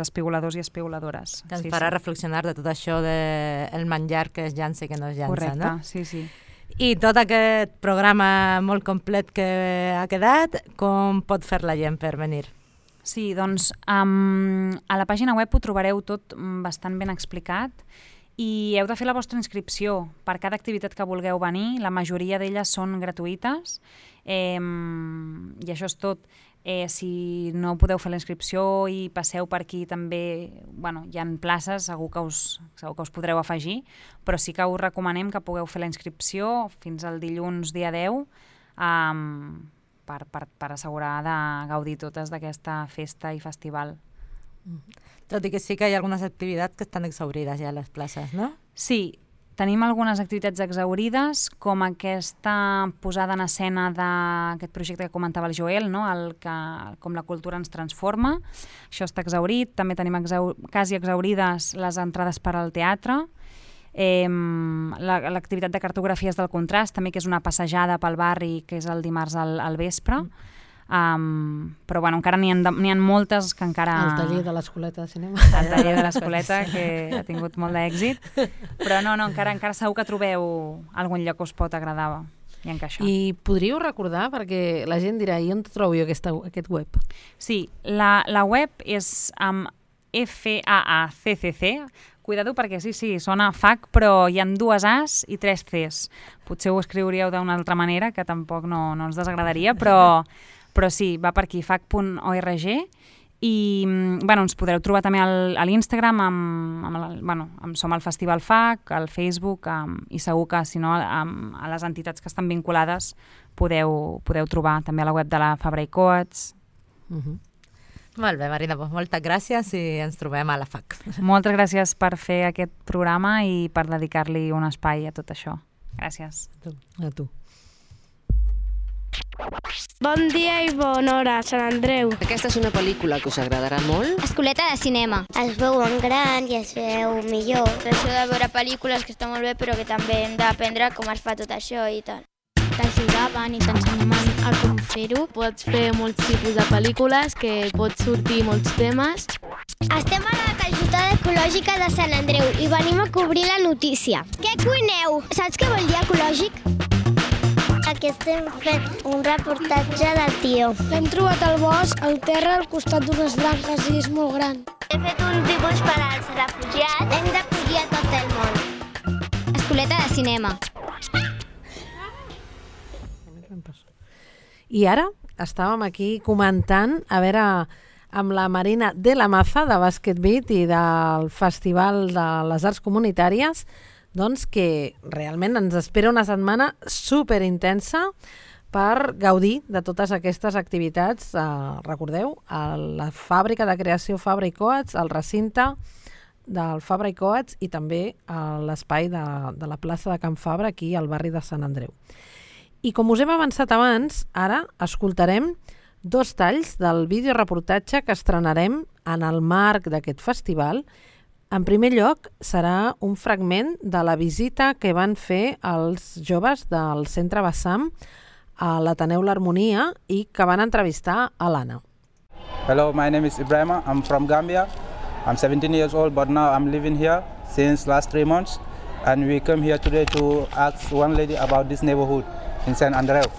espigoladors i espigoladores. Que ens farà reflexionar de tot això del menjar que es llança i que no es llança. Correcte, no? Sí. I tot aquest programa molt complet que ha quedat, com pot fer la gent per venir? Sí, doncs a la pàgina web ho trobareu tot bastant ben explicat i heu de fer la vostra inscripció per cada activitat que vulgueu venir. La majoria d'elles són gratuïtes i això és tot. Si no podeu fer la inscripció i passeu per aquí també, hi ha places, segur que us podreu afegir, però sí que us recomanem que pugueu fer la inscripció fins al dilluns dia 10 per assegurar de gaudir totes d'aquesta festa i festival. Tot i que sí que hi ha algunes activitats que estan exhaurides ja a les places, no? Sí, tenim algunes activitats exhaurides, com aquesta posada en escena d'aquest projecte que comentava el Joel, no? Com la cultura ens transforma. Això està exhaurit. També tenim quasi exhaurides les entrades per al teatre. L'activitat de cartografies del contrast, també, que és una passejada pel barri, que és el dimarts al vespre. Però encara n'hi ha moltes que encara... El taller de l'Escoleta de Cinema. El taller de l'Escoleta, que ha tingut molt d'èxit. Però encara segur que trobeu algun lloc que us pot agradar i encaixar. I podríeu recordar, perquè la gent dirà, i on trobo jo aquest web? Sí, la web és amb FAACCC. Cuidado perquè sí, sona FAC, però hi ha 2 As i 3 Cs. Potser ho escriuríeu d'una altra manera, que tampoc no ens desagradaria, però sí, va per aquí, fac.org, i ens podreu trobar també a l'Instagram, som al Festival FAC, al Facebook, i segur que, si no, a les entitats que estan vinculades podeu trobar també a la web de la Fabra i Coats. Molt bé, Marina, moltes gràcies i ens trobem a la FAC. Moltes gràcies per fer aquest programa i per dedicar-li un espai a tot això. Gràcies. A tu. Bon dia i bona hora, Sant Andreu. Aquesta és una pel·lícula que us agradarà molt. Escoleta de cinema. Es veu en gran i es veu millor. Això de veure pel·lícules que està molt bé, però que també hem d'aprendre com es fa tot això i tal. T'ajudaven i t'ensenyaven a com fer-ho. Pots fer molts tipus de pel·lícules, que pots sortir molts temes. Estem a la calçotada ecològica de Sant Andreu i venim a cobrir la notícia. Què cuineu? Saps què vol dir ecològic? Aquí estem fent un reportatge del tió. L'hem trobat al bosc, al terra, al costat d'unes branques i és molt gran. He fet un dibuix per als refugiats. Hem d'acollir a tot el món. Escoleta de cinema. I ara estàvem aquí comentant, a veure, amb la Marina de la Maza, de Basket Beat i del Festival de les Arts Comunitàries, doncs que realment ens espera una setmana superintensa per gaudir de totes aquestes activitats. Recordeu, a la fàbrica de creació Fabra i Coats, al recinte del Fabra i Coats i també a l'espai de la plaça de Can Fabra, aquí al barri de Sant Andreu. I com us hem avançat abans, ara escoltarem 2 talls del videoreportatge que estrenarem en el marc d'aquest festival. En primer lloc, serà un fragment de la visita que van fer els joves del Centre Bassam a l'Ateneu l'Harmonia i que van entrevistar a l'Anna. Hello, my name is Ibrahima. I'm from Gambia. I'm 17 years old, but now I'm living here since last 3 months. And we come here today to ask one lady about this neighborhood en Sant Andreu.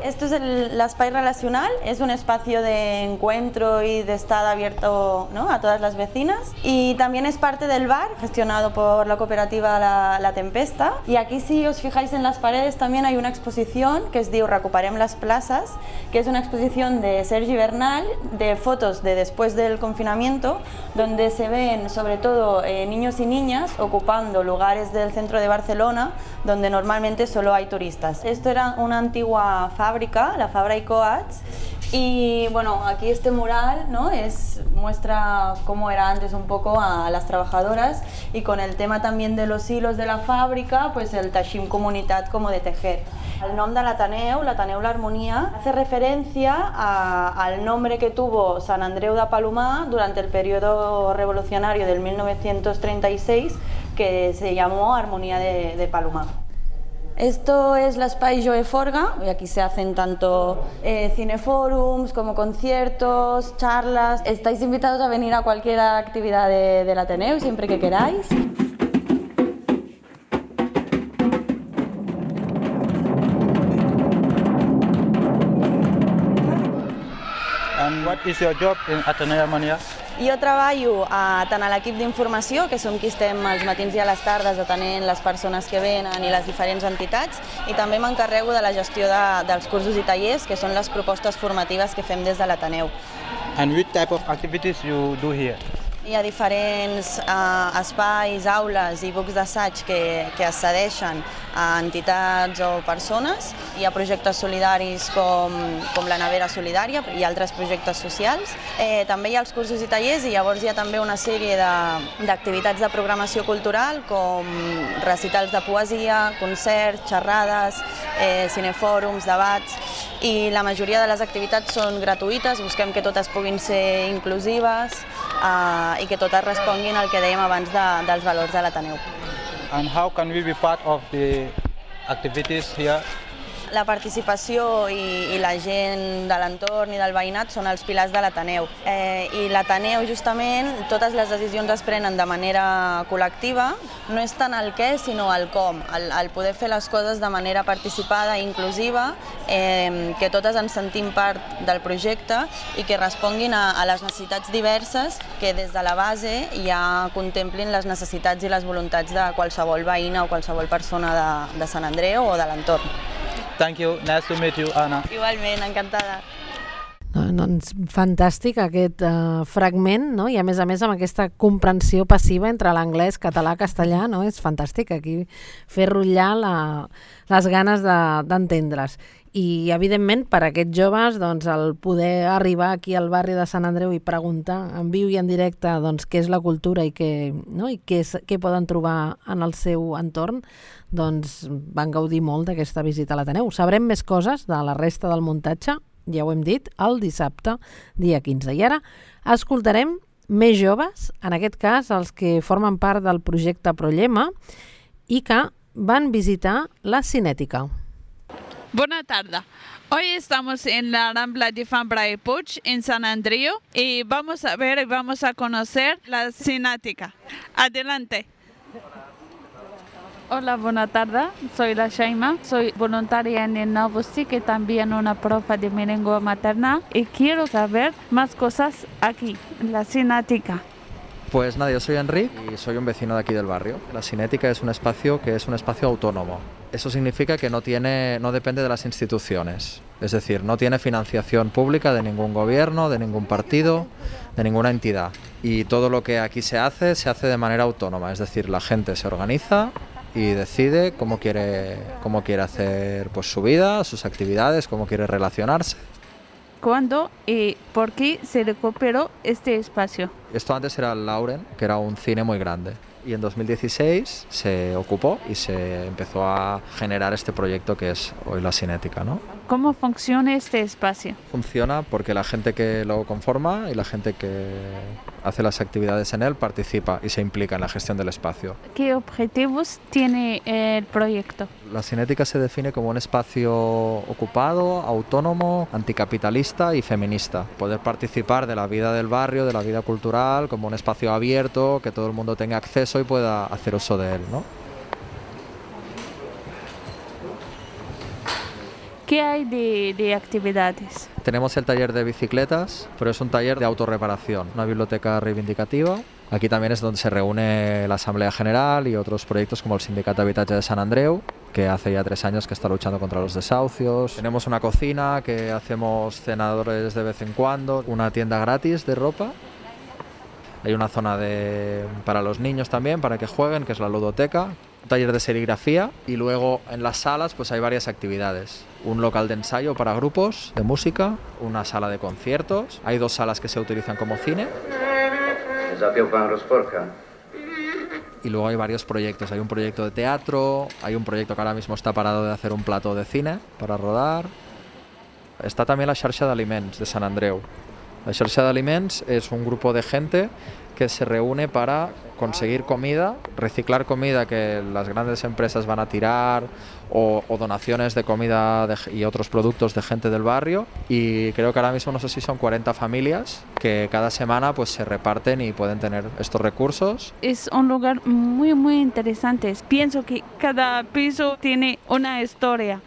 Esto es el espai relacional, es un espacio de encuentro y de estar abierto, ¿no?, a todas las vecinas, y también es parte del bar gestionado por la cooperativa La Tempesta. Y aquí, si os fijáis en las paredes, también hay una exposición que es diu Recuperem les places, que es una exposición de Sergi Bernal de fotos de después del confinamiento, donde se ven sobre todo niños y niñas ocupando lugares del centro de Barcelona donde normalmente solo hay turistas. Esto era una antigua fábrica, la Fabra i Coats, Y bueno, aquí este mural, ¿no? Muestra cómo era antes un poco a las trabajadoras, y con el tema también de los hilos de la fábrica, pues el Teixim Comunitat como de tejer. El nom de l'Ateneu, l'Ateneu l'Harmonia, hace referencia al nombre que tuvo Sant Andreu de Palomar durante el periodo revolucionario del 1936, que se llamó Armonía de Palomar. Esto es la Espai Joe Forga, y aquí se hacen tanto cineforums como conciertos, charlas. Estáis invitados a venir a cualquier actividad del Ateneu siempre que queráis. And what is your job in Ateneu Harmonia? Jo treballo tant a l'equip d'informació, que som qui estem als matins i a les tardes atenent les persones que venen i les diferents entitats, i també m'encarrego de la gestió dels cursos i tallers, que són les propostes formatives que fem des de l'Ateneu. And which type of activities you do here? Hi ha diferents espais, aules i bucs d'assaig que es cedeixen a entitats o persones. Hi ha projectes solidaris com la Nevera Solidària i altres projectes socials. També hi ha els cursos i tallers, i llavors hi ha també una sèrie d'activitats de programació cultural, com recitals de poesia, concerts, xerrades, cinefòrums, debats, i la majoria de les activitats són gratuïtes. Busquem que totes puguin ser inclusives i que totes responguin al que dèiem abans dels valors de l'Ateneu. And how can we be part of the activities here? La participació i la gent de l'entorn i del veïnat són els pilars de l'Ateneu. I l'Ateneu, justament, totes les decisions es prenen de manera col·lectiva. No és tant el què, sinó el com. El poder fer les coses de manera participada i inclusiva, que totes ens sentim part del projecte i que responguin a les necessitats diverses, que des de la base ja contemplin les necessitats i les voluntats de qualsevol veïna o qualsevol persona de Sant Andreu o de l'entorn. Thank you. Nice to meet you, Anna. Igualment, encantada. Doncs fantàstic aquest fragment, no? I a més amb aquesta comprensió passiva entre l'anglès, català, castellà, no? És fantàstic aquí fer rotllar les ganes d'entendre's. I evidentment per a aquests joves doncs, el poder arribar aquí al barri de Sant Andreu i preguntar en viu i en directe doncs, què és la cultura i què poden trobar en el seu entorn, doncs van gaudir molt d'aquesta visita a l'Ateneu. Sabrem més coses de la resta del muntatge, ja ho hem dit, el dissabte, dia 15. I ara escoltarem més joves, en aquest cas els que formen part del projecte Prollema i que van visitar la Cinètica. Buenas tardes. Hoy estamos en la Rambla de Fambra y Puig, en San Andreu, y vamos a ver y vamos a conocer la Cinètica. Adelante. Hola, buenas tardes. Soy la Shaima, soy voluntaria en el Novostic y también una profe de mi lengua materna, y quiero saber más cosas aquí, en la Cinètica. Pues nada, yo soy Enric y soy un vecino de aquí del barrio. La Cinètica es un espacio que es un espacio autónomo. Eso significa que no depende de las instituciones. Es decir, no tiene financiación pública de ningún gobierno, de ningún partido, de ninguna entidad. Y todo lo que aquí se hace de manera autónoma. Es decir, la gente se organiza y decide cómo quiere hacer pues, su vida, sus actividades, cómo quiere relacionarse. ¿Cuándo y por qué se recuperó este espacio? Esto antes era el Lauren, que era un cine muy grande. Y en 2016 se ocupó y se empezó a generar este proyecto que es hoy la Cinètica, ¿no? ¿Cómo funciona este espacio? Funciona porque la gente que lo conforma y la gente que hace las actividades en él participa y se implica en la gestión del espacio. ¿Qué objetivos tiene el proyecto? La Cinètica se define como un espacio ocupado, autónomo, anticapitalista y feminista. Poder participar de la vida del barrio, de la vida cultural, como un espacio abierto, que todo el mundo tenga acceso y pueda hacer uso de él, ¿no? ¿Qué hay de actividades? Tenemos el taller de bicicletas, pero es un taller de autorreparación, una biblioteca reivindicativa. Aquí también es donde se reúne la Asamblea General y otros proyectos como el Sindicato Habitatge de Sant Andreu, que hace ya 3 años que está luchando contra los desahucios. Tenemos una cocina que hacemos cenadores de vez en cuando, una tienda gratis de ropa. Hay una zona para los niños también, para que jueguen, que es la ludoteca, un taller de serigrafía, y luego en las salas pues hay varias actividades. Un local de ensayo para grupos de música, una sala de conciertos, hay 2 salas que se utilizan como cine. Y luego hay varios proyectos, hay un proyecto de teatro, hay un proyecto que ahora mismo está parado de hacer un plató de cine para rodar. Està també la xarxa d'aliments de Sant Andreu. La xarxa d'aliments es un grupo de gente que se reúne para conseguir comida, reciclar comida que las grandes empresas van a tirar o donaciones de comida y otros productos de gente del barrio, y creo que ahora mismo no sé si son 40 familias que cada semana pues se reparten y pueden tener estos recursos. Es un lugar muy muy interesante. Pienso que cada piso tiene una historia.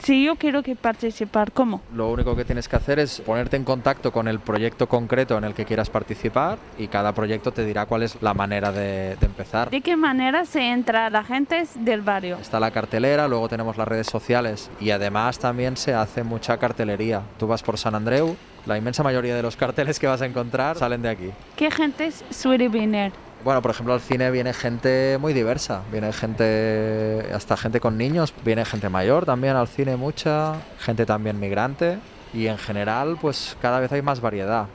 Si yo quiero participar, ¿cómo? Lo único que tienes que hacer es ponerte en contacto con el proyecto concreto en el que quieras participar, y cada proyecto te dirá cuál es la manera de empezar. ¿De qué manera se entra a la gente del barrio? Está la cartelera, luego tenemos las redes sociales, y además también se hace mucha cartelería. Tú vas por Sant Andreu, la inmensa mayoría de los carteles que vas a encontrar salen de aquí. ¿Qué gente suele venir? Bueno, por ejemplo, al cine viene gente muy diversa, viene gente, hasta gente con niños, viene gente mayor también al cine, mucha, gente también migrante, y en general pues cada vez hay más variedad.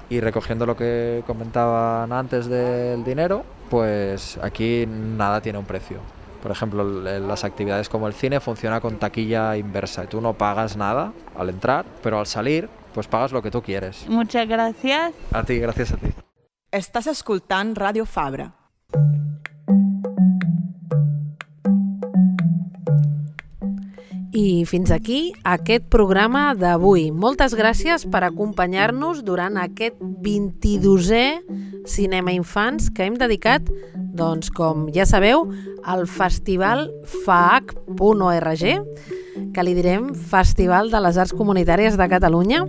Y recogiendo lo que comentaban antes del dinero, pues aquí nada tiene un precio. Por ejemplo, las actividades como el cine funciona con taquilla inversa, y tú no pagas nada al entrar, pero al salir pues pagas lo que tú quieres. Muchas gracias. A ti, gracias a ti. Estàs escoltant Ràdio Fabra. I fins aquí aquest programa d'avui. Moltes gràcies per acompanyar-nos durant aquest 22è Cinema Infants que hem dedicat, doncs, com ja sabeu, al Festival FAAC.org, que li direm Festival de les Arts Comunitàries de Catalunya,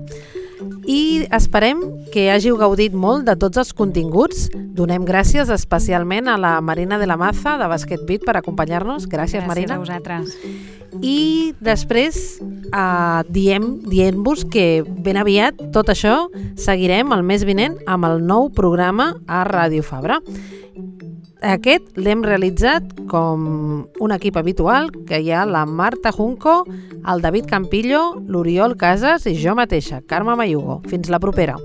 i esperem que hàgiu gaudit molt de tots els continguts. Donem gràcies especialment a la Marina de la Maza de Basket Beat per acompanyar-nos. Gràcies, Marina. Gràcies a vosaltres. I després diem-vos que ben aviat tot això seguirem el mes vinent amb el nou programa a Ràdio Fabra. Aquest l'hem realitzat com un equip habitual, que hi ha la Marta Junco, el David Campillo, l'Oriol Casas i jo mateixa, Carme Mayugo. Fins la propera.